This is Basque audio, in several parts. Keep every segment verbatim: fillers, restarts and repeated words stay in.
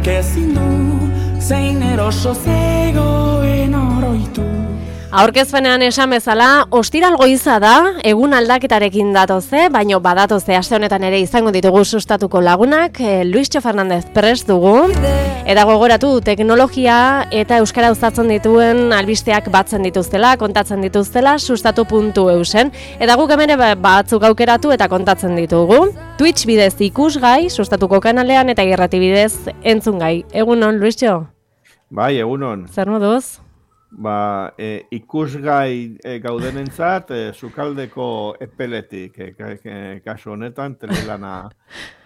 Nork ezin du, zein eroso zegoen oroitu. Aurkezpenean esan bezala, ostiral goiza da, egun aldaketarekin datoze, baino badatoze aste honetan ere izango ditugu sustatuko lagunak, eh, Luistxo Fernandez prest dugu, eta gogoratu teknologia eta euskara uzatzen dituen albisteak batzen dituztela, kontatzen dituztela, sustatu puntu eusen, eta guk hemen batzuk aukeratu eta kontatzen ditugu. Twitch bidez ikusgai, sustatuko kanalean, eta irrati bidez entzungai. Egunon, Luistxo? Bai, egunon. Zer moduz? Ba, e, ikusgai e, gaudenentzat, e, sukaldeko epeletik, e, ka, e, kasu honetan, telelana,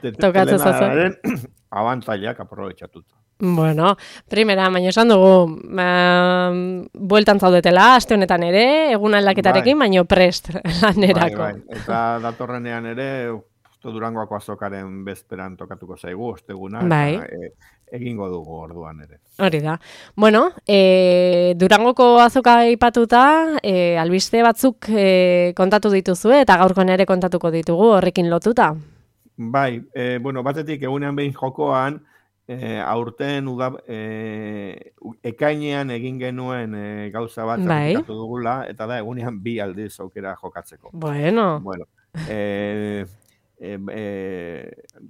te, telenaren abantailak aprobetxatuta. Bueno, primera, baina esan dugu, uh, bueltan zaudetela, aste honetan ere, egun aldaketarekin, bai. Baino prest lanerako. Bai, bai. Eta datorrenean ere, Durangoako azokaren bezperan tokatuko zaigu, osteguna, bai. Eta, e, egingo dugu orduan ere. Hori da. Bueno, e, Durangoko azoka aipatuta, e, albiste batzuk e, kontatu dituzue, eta gaurkoan ere kontatuko ditugu horrekin lotuta. Bai, e, bueno, batetik egunean behin jokoan, e, aurten uda, e, ekainean egin genuen e, gauza bat bai. Aplikatu dugula, eta da egunean bi aldiz aukera jokatzeko. Bueno. Bueno, e, E, e,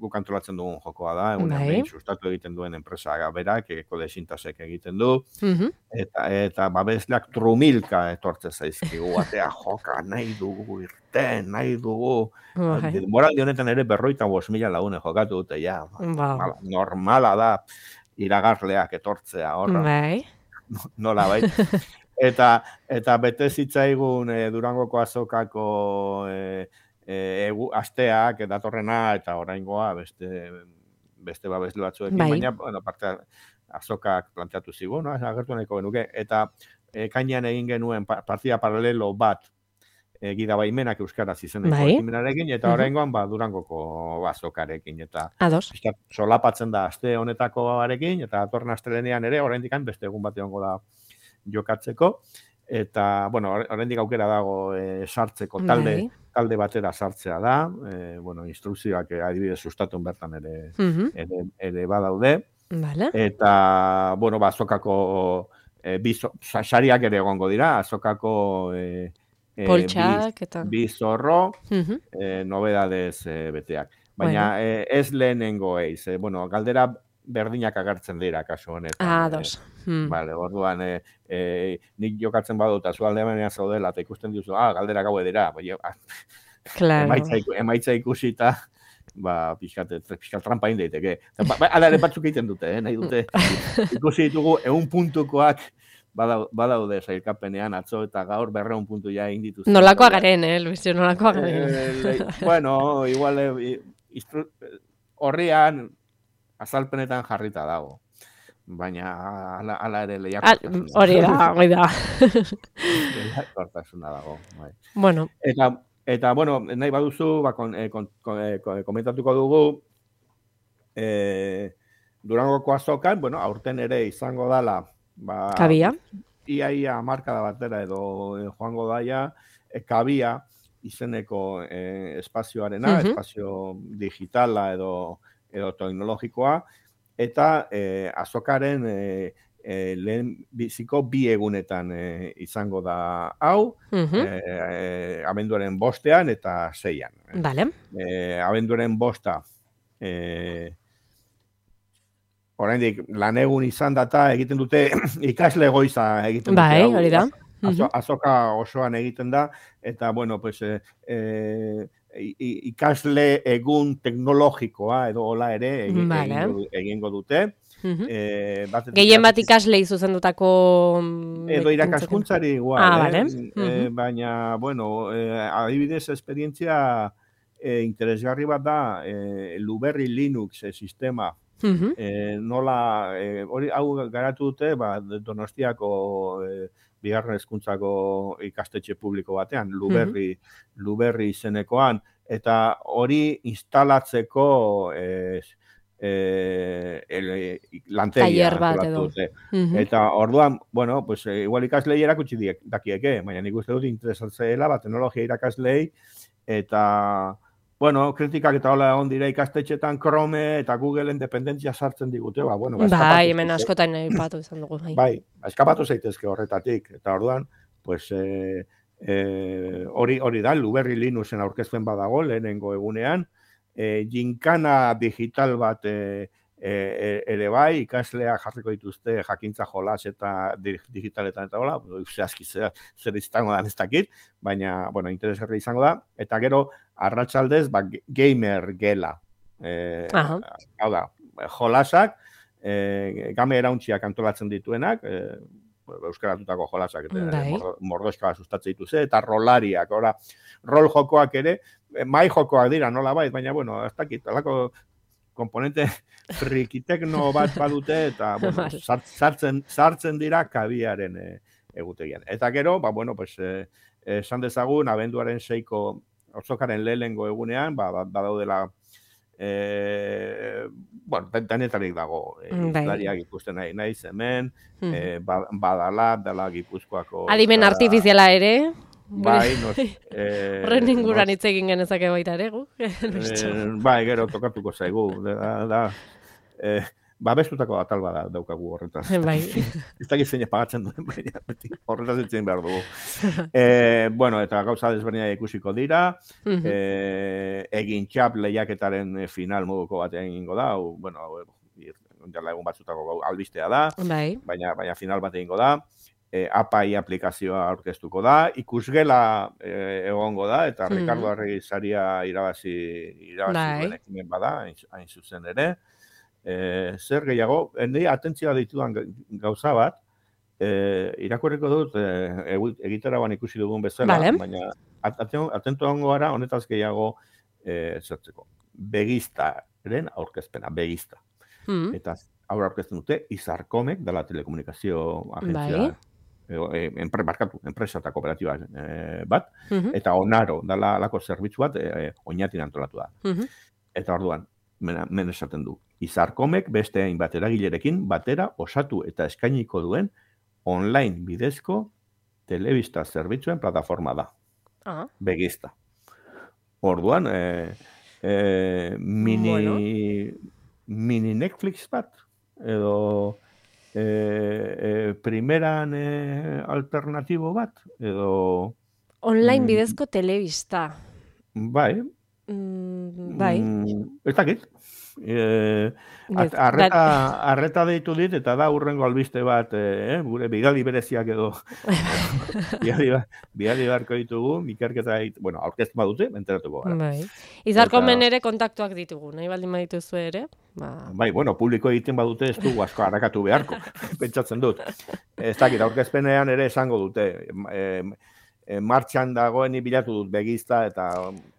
guk antolatzen dugun jokoa da, egunean behin sustatu egiten duen enpresa berak, eko desintasek egiten du, uh-huh. eta, eta babesleak trumilka etortze zaizkigu, atea joka, nahi dugu irten, nahi dugu. Uh-huh. Moraldi honetan ere berroita bost mila lagune jokatu dute, ja, wow. Normala da iragarleak etortzea, horra. Bai. Nola, bai. eta, eta bete zitzaigun e, Durangoko azokako e, egu asteak datorrena eta oraingoa beste beste babesle batzuekin, bai. Baina bueno, parte azokak planteatu zigu, no? Agertu nahiko genuke eta ekainean egin genuen partida paralelo bat e, gida baimenak euskaraz izeneko bai. Ekimenarekin eta oraingoan ba Durangoko azokarekin eta Ados. Solapatzen da aste honetakoarekin eta datorren astelehenean ere oraindik beste egun bat egongo da jokatzeko eta bueno, oraindik aukera dago e, sartzeko talde bai. Talde batera sartzea da, e, bueno, instrukzioak adibidez sustatun bertan ere, uh-huh. ere, ere badaude. Vale. Eta, bueno, ba, azokako e, bizo, sariak ere egongo dira, azokako e, e, poltsak eta bi zorro, uh-huh. e, nobedadez e, beteak. Baina bueno. e, ez lehenengo eiz, e, bueno, galdera berdinak agertzen dira kasu honetan. Ah, dos. E, hmm. Vale, orduan, e, e, nik jokatzen badut, azu aldeanean zaudela, eta ikusten duzu, ah, galdera gaue dira, bai, claro. emaitza, emaitza ikusita, ba, pixkat, pixkat trampa indaiteke. Ba, ba, ala ere batzuk egiten dute, eh, nahi dute, ikusi ditugu, egun puntukoak, badaude zailkapenean, atzo eta gaur berreun puntu ja egin dituzte. Nolakoa garen, eh, Luisio, nolakoa garen. Eh, bueno, igual, horrian, azalpenetan jarrita dago. Baina ala, ala ere lehiakortasuna. Hori da, hori da. Lehiakortasuna dago. Bai. Bueno. Eta, eta, bueno, nahi baduzu, ba, kon, kon, kon, kon, komentatuko dugu, e, Durangoko azokan, bueno, aurten ere izango dala, ba, kabia. Iaia markada batera edo e, joango daia, e, kabia izeneko e, espazioarena, uh-huh. espazio digitala edo edo teknologikoa, eta e, azokaren e, e, lehen biziko bi egunetan e, izango da hau, uh-huh. e, e, abenduaren bostean eta seian. Vale. E, abenduaren bosta, e, oraindik lan egun izan data egiten dute ikasle goiza egiten dute. Bai, hori da. Azo, azoka osoan egiten da, eta, bueno, pues, e, e, ikasle egun teknologikoa edo hola ere egin, vale. egingo, egingo dute. Uh-huh. E, Gehien bat ikaslei zuzendutako edo irakaskuntzari igual, ah, eh? vale. uh-huh. e, baina, bueno, e, adibidez esperientzia e, interesgarri bat da e, Luberri Linux e, sistema. Uh-huh. E, nola, e, hori hau garatu dute, ba, Donostiako e, bigarren hezkuntzako ikastetxe publiko batean, Luberri, uh-huh. Luberri izenekoan, eta hori instalatzeko e, e, lantegia antolatu dute. Uh-huh. Eta orduan, bueno, pues, igual ikaslei erakutsi dakieke, baina nik uste dut interesatzeela, ba, teknologia irakaslei, eta bueno, kritikak eta hola egon dira ikastetxetan Chrome eta Googleen dependentzia sartzen digute, ba, bueno, ba, bai, hemen askotan aipatu izan dugu. Bai, bai, eskapatu zaitezke horretatik, eta orduan, pues, eh, eh, hori, hori da, Luberri Linuxen aurkezpen badago, lehenengo egunean, eh, ginkana digital bat eh, E, ere bai, ikaslea jarriko dituzte jakintza jolas eta digitaletan eta hola, zehazki zer, zer izango da ez dakit, baina, bueno, interesgarri izango da, eta gero, arratsaldez, ba, gamer gela. E, hau da, jolasak, e, game erauntziak antolatzen dituenak, e, euskaratutako jolasak, eta mordoska sustatzen dituzte, eta rolariak, ora, rol jokoak ere, mai jokoak dira, nola bait, baina, bueno, ez dakit, alako komponente frikitekno bat badute eta bueno, sartzen, sartzen dira kabiaren e, egutegian. Eta gero, ba, bueno, pues, e, esan dezagun, abenduaren seiko otzokaren lehenengo egunean, ba, badaudela, e, bueno, denetarik dago, e, izlariak ikusten nahi, nahi hemen, mm. e, badala, dela Gipuzkoako... Adimen artifiziala ere... Bai, nos... Horren eh, inguran hitz egin genezake baita ere, gu? eh, bai, gero tokatuko zaigu. Da, da, eh, babestutako atal bada daukagu horretaz. Bai. Ez dakit zein pagatzen duen, baina horretaz ditzen behar dugu. Eh, bueno, eta gauza desberdina ikusiko dira, eh, egin txap lehiaketaren final moduko batean egingo da, o, bueno, jala egun batzutako albistea da, bai. baina, baina final bat egingo da. E, A P I aplikazioa aurkeztuko da, ikusgela e, egongo da, eta mm. Ricardo Arregi saria irabazi, irabazi duen ekimen bada, hain, hain zuzen ere. E, zer gehiago, hende atentzioa ditudan gauza bat, e, irakurriko dut, e, egitaragoan ikusi dugun bezala, vale. Baina atentu egongo gara, honetaz gehiago e, zertzeko. Begiztaren aurkezpena, begizta. Mm. Eta aurra aurkezten dute, Izarkomek, dela telekomunikazio agentzia. Bai. Enpre, markatu, enpresa eta kooperatiba eh, bat, uh-huh. eta Onaro, dala lako zerbitzu bat, eh, oinatin antolatu da. Uh-huh. Eta orduan, men esaten du, Izarkomek beste hainbat eragilerekin batera osatu eta eskainiko duen online bidezko telebista zerbitzuen plataforma da. Uh-huh. Begizta. Orduan, eh, eh, mini, bueno. mini Netflix bat, edo... E, e, primeran e, alternatibo bat, edo... Online bidezko mm, telebista. Bai. Mm, bai. Mm, ez dakit. E, arreta, arreta deitu dit, eta da urrengo albiste bat, e, gure bidali bereziak edo bidali, bidali beharko ditugu, ikerketa, bueno, aurkeztu badute, enteratuko gara. Bai. Izarkomen ere kontaktuak ditugu, nahi baldin badituzu ere? Ba... Bai, bueno, publiko egiten badute ez dugu asko harrakatu beharko, pentsatzen dut. Ez dakit, aurkezpenean ere esango dute, e, e, martxan dagoen bilatu dut begizta, eta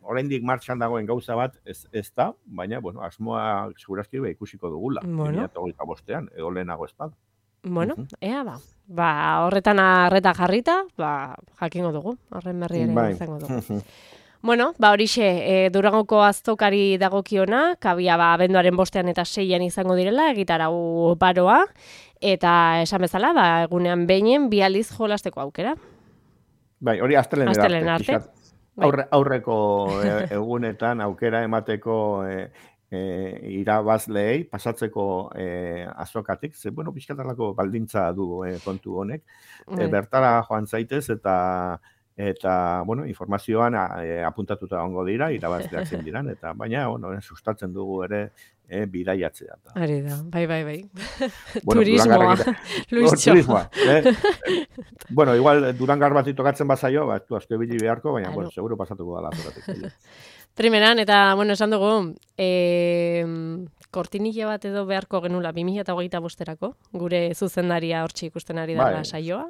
oraindik martxan dagoen gauza bat ez, ez da, baina, bueno, asmoa segurazki ikusiko dugula, bueno. bi mila hogeita bostean, edo lehenago ez bada. Bueno, uh-huh. ea ba. Ba, horretan arreta jarrita, ba, jakingo dugu, horren berri ere bai. Izango dugu. Bueno, ba horixe, e, Durangoko aztokari dagokiona, kabia ba abenduaren bostean eta seian izango direla, egitarau baroa, eta esan bezala, ba, egunean beinen bi aldiz jolasteko aukera. Bai, hori astelen arte. arte. Aurre, aurreko egunetan aukera emateko e, e, irabazleei, pasatzeko e, azokatik, ze, bueno, pixkatarlako baldintza du e, kontu honek, e, bertara joan zaitez eta eta, bueno, informazioan e, apuntatuta egongo dira, irabazleak zein diran, eta baina, bueno, sustatzen dugu ere e, bidaiatzea. Hori da, bai, bai, bai. Bueno, turismoa, Luistxo. Turismoa, eh? Bueno, igual Durangar bat tokatzen bazaio, ba, tu asko ebili beharko, baina, bueno, seguro pasatuko da lazoratik. Primeran, eta, bueno, esan dugu, eh, kortinilla bat edo beharko genula bi mila hogeita bosterako, gure zuzendaria hortxe ikusten ari dara saioa.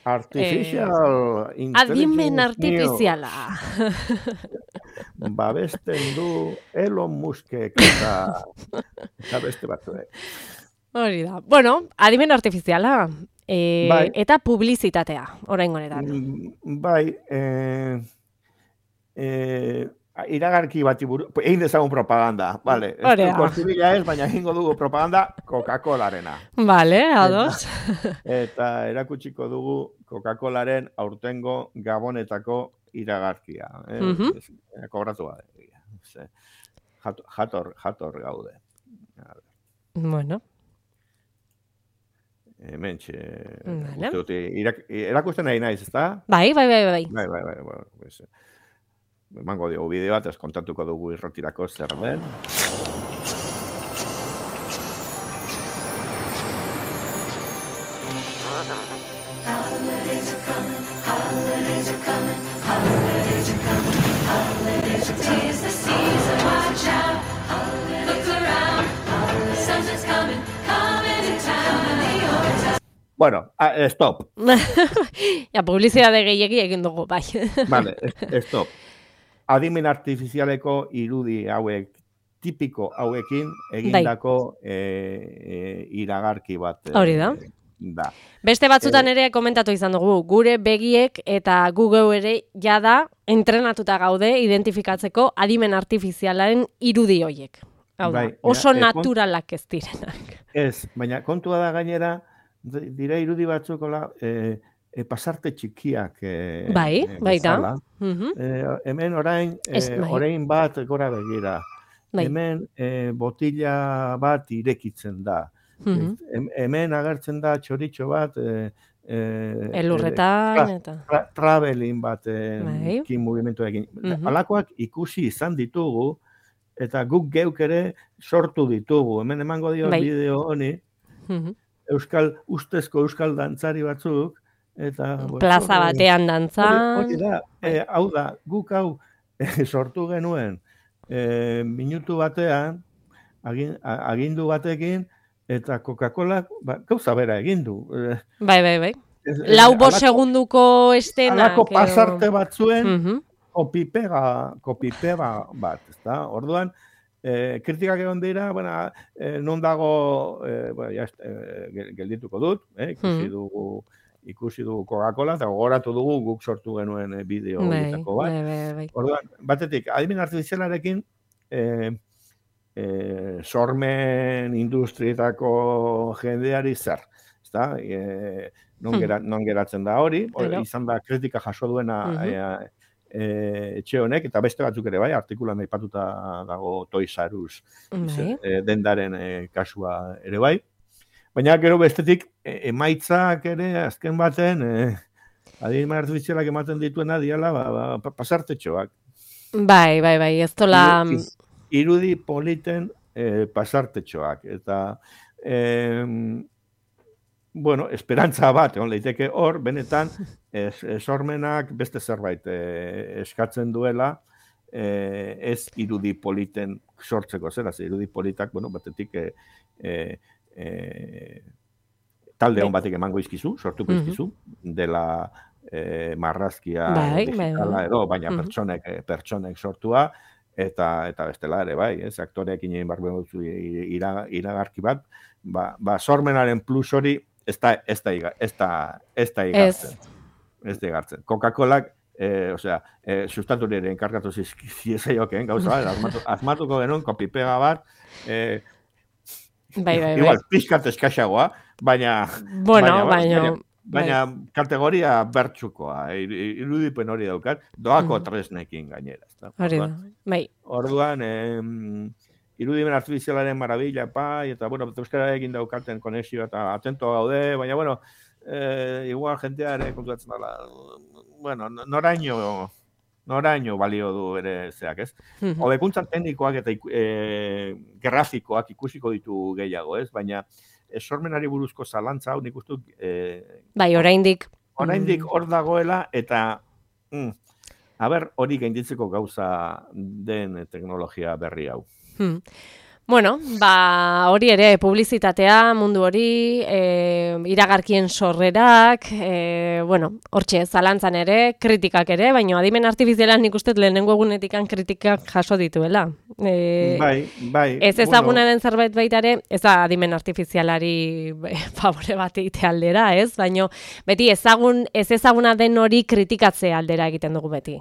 Artificial eh, Adimen artifiziala. Babesten du Elon Muskek eta, eta beste batzuek. Hori da. Bueno, adimen artifiziala. E, bai. Eta publizitatea, orain honetan. Bai, eh, eh, iragarki bati buru, egin dezagun propaganda, vale. Ez du kortibila ez, baina egingo dugu propaganda Coca-Colarena. Vale, ados. Eta, eta erakutsiko dugu Coca-Colaren aurtengo Gabonetako iragarkia. Eh? Uh-huh. Kobratu bade. ze, jator, jator, jator gaude. Bueno. Hemen, txe, Vale. uste dut, irak, erakusten nahi naiz, ezta? Bai, bai, bai, bai. Bai, bai, bai, bai, pues, emango diogu bideo bat, ez kontatuko dugu irrotirako zer den. Bueno, ah, stop. Ja, publizitate gehiegi egin dugu, bai. Vale, stop. Adimen artifizialeko irudi hauek, tipiko hauekin, egindako e, e, iragarki bat. Hori da. E, da. Beste batzutan ere komentatu izan dugu, gure begiek eta gu geu ere jada entrenatuta gaude identifikatzeko adimen artifizialaren irudi hoiek. Hau da, Bai, oso mira, e, naturalak ez direnak. Ez, baina kontua da gainera, dira irudi batzuk hola, e, e, pasarte txikiak e, Bai, e, baita. bezala. Mhm. E, hemen orain, e, Ez, bai. orain bat gora begira. Bai. Hemen e, botila bat irekitzen da. Mhm. Hem- Hemen agertzen da txoritxo bat, e, e, Elurretan tra- eta... tra- traveling bat e, Bai. kin mugimenduekin. Mhm. Halakoak ikusi izan ditugu, eta guk geuk ere sortu ditugu. Hemen emango dio Bai. bideo honi, Mhm. euskal, ustezko euskal dantzari batzuk, eta... bueno, Plaza hori- batean hori, dantzan. hori da, e, hau da, guk hau e, sortu genuen e, minutu batean, agin, a- agindu batekin, eta Coca-Cola ba, gauza bera egin du. E, Bai, bai, bai. ez- Lau bost halako- segunduko estenak. halako edo- pasarte batzuen, Mhm. kopipega, kopipega bat, ezta? Orduan, eh, kritikak egon dira, bueno, eh, non dago, eh, bueno, ja, eh, gel- geldituko dut, eh, ikusi Mhm. dugu, ikusi dugu Coca-Cola, eta gogoratu dugu guk sortu genuen eh, bideo Bai, horietako bat. bai, bai, bai. Orduan, batetik, adimen artifizialarekin, eh, eh, sormen industrietako jendeari zer, ezta? Eh, non, Hmm. gera, non geratzen da hori, hori Claro. izan da kritika jaso duena Mhm. eh, eh, etxe honek, eta beste batzuk ere bai, artikulan aipatuta dago Toys R Us Bai. eh, dendaren eh, kasua ere bai. Baina gero bestetik, eh, emaitzak ere azken baten, eh, adimen artifizialak ematen dituena diala, ba, ba, pa- pasartetxoak. Bai, bai, bai, ez tola... Iru- iz- irudi politen eh, pasartetxoak. Eta, eh, bueno, esperantza bat, egon leiteke hor, benetan, es, esormenak beste zerbait eh, eskatzen duela, eh, ez irudi politen sortzeko, zera, ze irudi politak, bueno, batetik eh, eh, eh, talde hon batek emango izkizu, sortuko Mhm. izkizu, dela eh, marrazkia Bai, bai, digitala bai. edo, baina Mhm. pertsonek, eh, pertsonek sortua, eta eta bestela ere, bai, ez, aktoreekin egin behar duzu ira, iragarki bat, ba, ba sormenaren plus hori ez da, ez da, iga- ez da, ez da igartzen. Ez da igartzen. Coca-Colak, eh, osea, eh, sustatu ere enkargatu zizaiokeen gauza bat, asmatu, asmatuko genuen kopipega bat, eh, Bai, bai, bai. igual, pixkat eskaxagoa, baina, Bueno, baina, baina... baina, baina kategoria bertsukoa, ir- ir- irudipen hori daukat, doako Mhm. tresnekin gainera. ezta? Hori da, Orduan, bai. Orduan, em, irudimen artifizialaren marabila, pai, eta, bueno, euskararekin daukaten konexioa, eta atento gaude, baina, bueno, eh, igual jentea ere konturatzen dela, bueno, noraino, noraino balio du ere zeak, ez? Mhm. Hobekuntza teknikoak eta iku- eh, grafikoak ikusiko ditu gehiago, ez? Baina, esormenari buruzko zalantza hau nik uste dut, eh, Bai, oraindik. oraindik Mm. hor dagoela, eta mm, aber hori gainditzeko gauza den teknologia berri hau. Hmm. Bueno, ba, hori ere, publizitatea, mundu hori, e, iragarkien sorrerak, e, bueno, hortxe, zalantzan ere, kritikak ere, baina adimen artifizialan nik uste lehenengo egunetikan kritikak jaso dituela. E, bai, bai. Ez ezaguna den zerbait baita ere, ez da adimen artifizialari be, favore bat egitea aldera, ez? Baina beti ezagun, ez ezaguna den hori kritikatze aldera egiten dugu beti.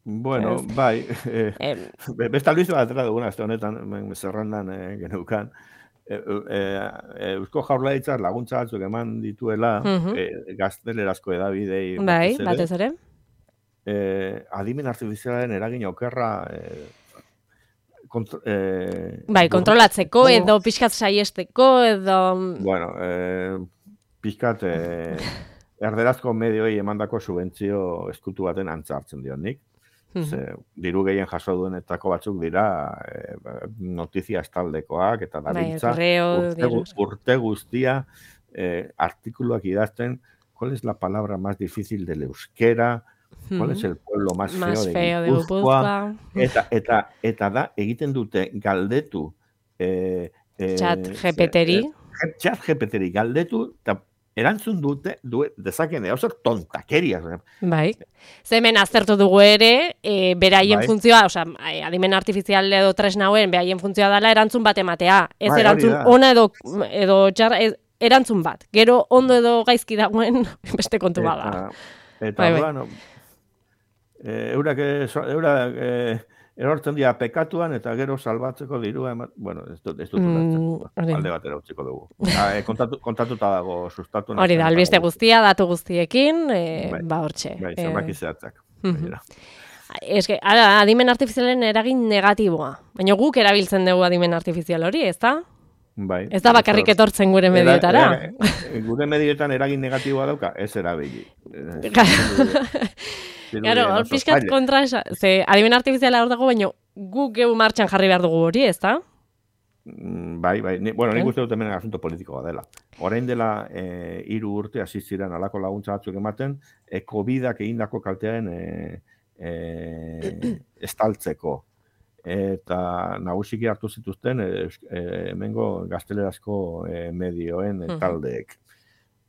Bueno, Ez. bai. Eh, Eh, be- beste albiste bat atera duguna, azte honetan, hemen zerrendan eh, geneukan. E, e, e, Eusko Jaurlaritzak laguntza batzuk eman dituela, Mhm. e, gaztelerazko edabidei bai, batez ere. batez ere. Eh, adimen artifizialaren eragin okerra eh, Kontro, eh, bai, kontrolatzeko edo pixkat saiesteko edo... Bueno, eh, pixkat eh, erderazko medioi emandako subentzio eskutu baten antza hartzen dion nik. Ze, diru gehien jaso duenetako batzuk dira eh, notizia estaldekoak eta dabiltza bai, urte, urte guztia eh, artikuluak idazten cuál es la palabra más difícil del euskera, cuál es el pueblo más, más feo, feo de Gipuzkoa, de eta, eta, eta da egiten dute galdetu eh, eh, chat G P T-ri chat G P T-ri galdetu eta erantzun dute, du, dezaken, hau zer tontakeriaz. Bai. Zemen aztertu dugu ere, e, beraien bai. funtzioa, osea, adimen artifizial edo tresna hauen, beraien funtzioa dela erantzun bat ematea. Ez bai, erantzun ona edo, edo txar, ez, erantzun bat. Gero ondo edo gaizki dagoen beste kontu bada. Eta, eta bai, bai. Bueno, e, eurak, eurak e, erortzen dira pekatuan eta gero salbatzeko dirua, bueno, ez dut, ez dut mm, alde batera utziko dugu. Ha, e, kontatu, kontatuta dago sustatu. Hori da, albiste guztia, datu guztiekin, e, bai, ba hortxe. Bai, zenbaki zehatzak. Ez que, adimen artifizialen eragin negatiboa. Baina guk erabiltzen dugu adimen artifizial hori, ez da? Bai. Ez da bakarrik etortzen gure medioetara. Gure medioetan eragin negatiboa dauka, ez erabili. Claro, hor pixkat kontra esa, ze adimen artifiziala hor dago, baina guk geu martxan jarri behar dugu hori, ez da? Bai, bai, ni, bueno, nik uste dut hemen asunto politikoa dela. Orain dela eh, hiru urte hasi ziren alako laguntza batzuk ematen, e, covidak egindako kaltearen e, e, estaltzeko. Eta nagusiki hartu zituzten e, e, hemengo gaztelerazko e, medioen e, taldeek.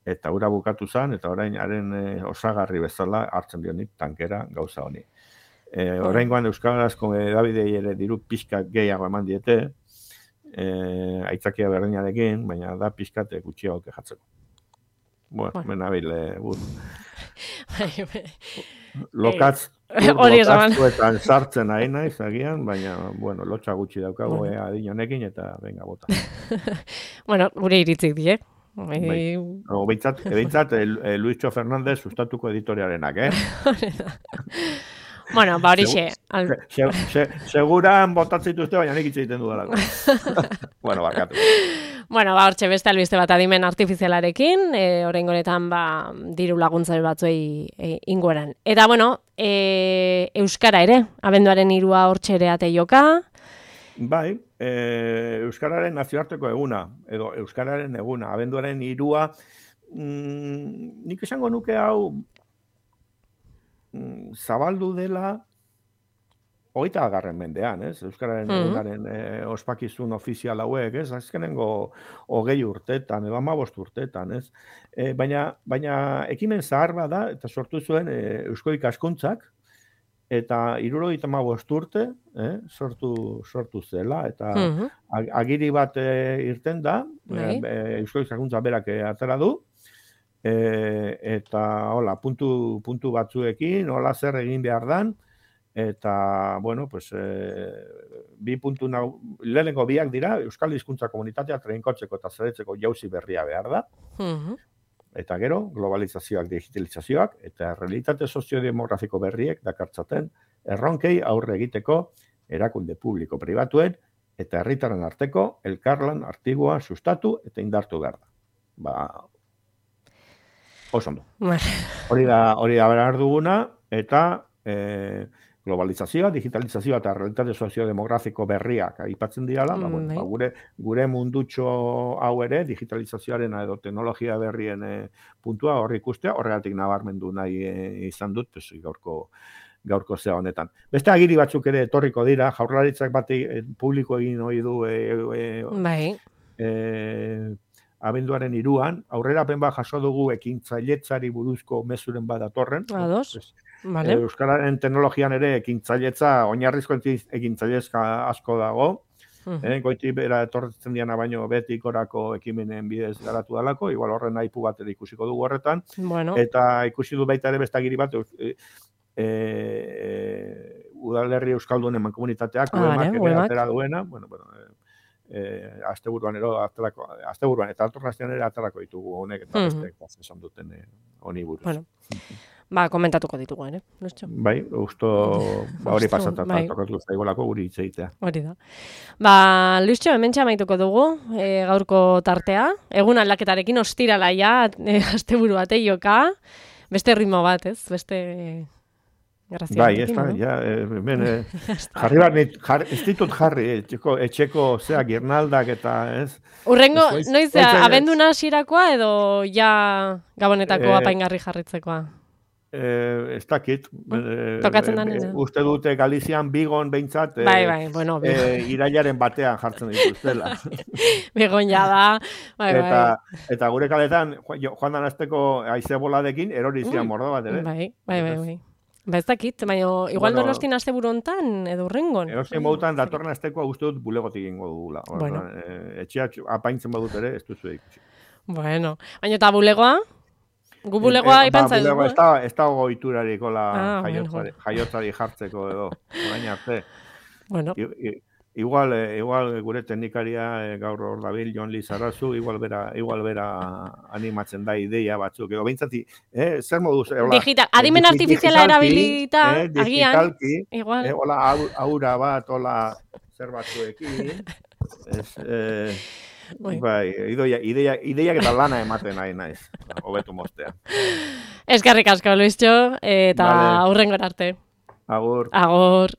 Eta ura bukatu zen, eta orain haren e, osagarri bezala hartzen dionik tankera gauza honi. E, orain goan euskarazko edabidei ere diru pixka gehiago eman diete, e, aitzakia berdinarekin, baina da pixkat gutxiago kejatzeko. Bueno, mena bile, lokatz, lokatzuetan sartzen nahi naiz agian, baina, bueno, lotxa gutxi daukago bueno. adin honekin, eta venga, bota. Bueno, gure iritzik die. Bai. No, Beintzat, beintzat eh, Luischo Fernández sustatuko editorialenak, eh? Bueno, ba horixe. Al... Se, se, seguran botatzen dituzte, baina nik hitz egiten dudalako. Bueno, barkatu. Bueno, ba hortxe beste albiste bat adimen artifizialarekin, e, oraingo honetan ba diru laguntza batzuei e, ingueran. Eta bueno, e, euskara ere, abenduaren hirua hortxe ere ate joka. Bai, e, euskararen nazioarteko eguna, edo euskararen eguna, abenduaren hirua, mm, nik esango nuke hau mm, zabaldu dela hogeita garren mendean, ez? Euskararen mm-hmm. egunaren e, ospakizun ofizial hauek, ez? Azkenengo hogei urtetan, edo hamabost urtetan, ez? E, baina, baina ekimen zahar bada, eta sortu zuen e, Eusko Ikaskuntzak, eta hirurogeita hamabost urte, eh, sortu, sortu zela, eta mm-hmm. agiri bat e, irten da, e, Eusko Ikaskuntza berak atera du, e, eta hola, puntu, puntu batzuekin, hola zer egin behar dan, eta, bueno, pues, e, bi puntu nau, lehenengo biak dira, Euskal Hizkuntza Komunitatea trinkotzeko eta zeretzeko jauzi berria behar da, mm-hmm. Eta gero, globalizazioak, digitalizazioak, eta realitate soziodemografiko berriek dakartzaten erronkei aurre egiteko erakunde publiko pribatuen eta herritarren arteko elkarlan artigua sustatu eta indartu behar da. Ba, oso ondo. Hori da, hori da behar duguna, eta e, globalizazioa, digitalizazioa eta realitate soziodemografiko berriak aipatzen dirala, mm, ba, bueno, ba, gure, gure mundutxo hau ere, digitalizazioaren edo teknologia berrien e, puntua horri ikustea, horregatik nabarmendu nahi e, izan dut, pues, gaurko, gaurko zea honetan. Beste agiri batzuk ere etorriko dira, jaurlaritzak bat e, publiko egin hori du e, e, bai. E, abenduaren hiruan, aurrerapen bat jaso dugu ekintzailetzari buruzko mezuren bat datorren. Ados. Vale. Euskararen teknologian ere ekintzailetza, oinarrizko ekintzailetzka asko dago. Uh-huh. Eh, goiti bera etortzen diana baino betik orako ekimenen bidez garatu dalako, igual horren aipu bat ere ikusiko dugu horretan. Bueno. Eta ikusi du baita ere bestagiri bat, e, e, udalerri euskaldunen mankomunitateak, ah, uemak ere atera duena, bueno, bueno, eh, asteburuan ero, aterako, asteburuan eta altorraztean ere aterako ditugu honek, eta uh-huh. beste esan duten honi eh, buruz. Bueno. ba, komentatuko ditugu, ere? Luistxo? Bai, usto ba, hori pasatzen bai. tokatu zaigolako guri hitz egitea. Hori da. Ba, Luistxo, hemen txamaituko dugu, e, gaurko tartea. Egun aldaketarekin ostirala ja, e, asteburu bate joka. Beste ritmo bat, ez? Beste grazia. Bai, ez da, ja, hemen, eh, jarri bat, jar, ez ditut jarri, etxeko, etxeko zea, girnaldak eta, ez? Urrengo, Ez, noiz, ez, ez, abenduna hasirakoa edo ja gabonetako Eh, apaingarri jarritzekoa? Eh, ez dakit. Eh, Tokatzen da eh, nena. Uste dute Galizian bigon behintzat, eh, Bai, bai, bueno, eh, irailaren batean jartzen dituztela. Begon ja da, bai, eta, bai. eta gure kaletan, jo- joan dan azteko haize boladekin, erori zian Mm, mordo bat, ere? Bai, bai, bai, bai. Ba ez dakit, baina igual Bueno, donostin asteburu hontan edo urrengon. Erosin modutan datorren aztekoa uste dut bulegotik egingo dugula. Bueno. Eh, etxeak apaintzen badut ere, ez duzu ikusi. Bueno, baina eta bulegoa? Gu bulegoa Eh, eh, ipantza ba, bulego dugu, ez da, ez da goiturarik hola Ah, bueno, jaiotzari, jaiotzari jartzeko edo, orain arte. Bueno, I, i, igual, eh, igual gure teknikaria eh, gaur hor dabil, Jon Lizarazu, igual bera, igual bera animatzen da ideia batzuk. Edo behintzati, eh, zer moduz? Eh, hola, digital, adimen eh, artifiziala digitalki, erabilita, eh, agian, digitalki, igual. eh, hola, au- aura bat, hola, zer batzuekin, ez, eh, Bai. bai, ideia, ideia, ideiak eta lana ematen nahi naiz, hobetu mostea. Eskerrik asko, Luistxo, eta Vale. aurrengora arte. Agur. Agor.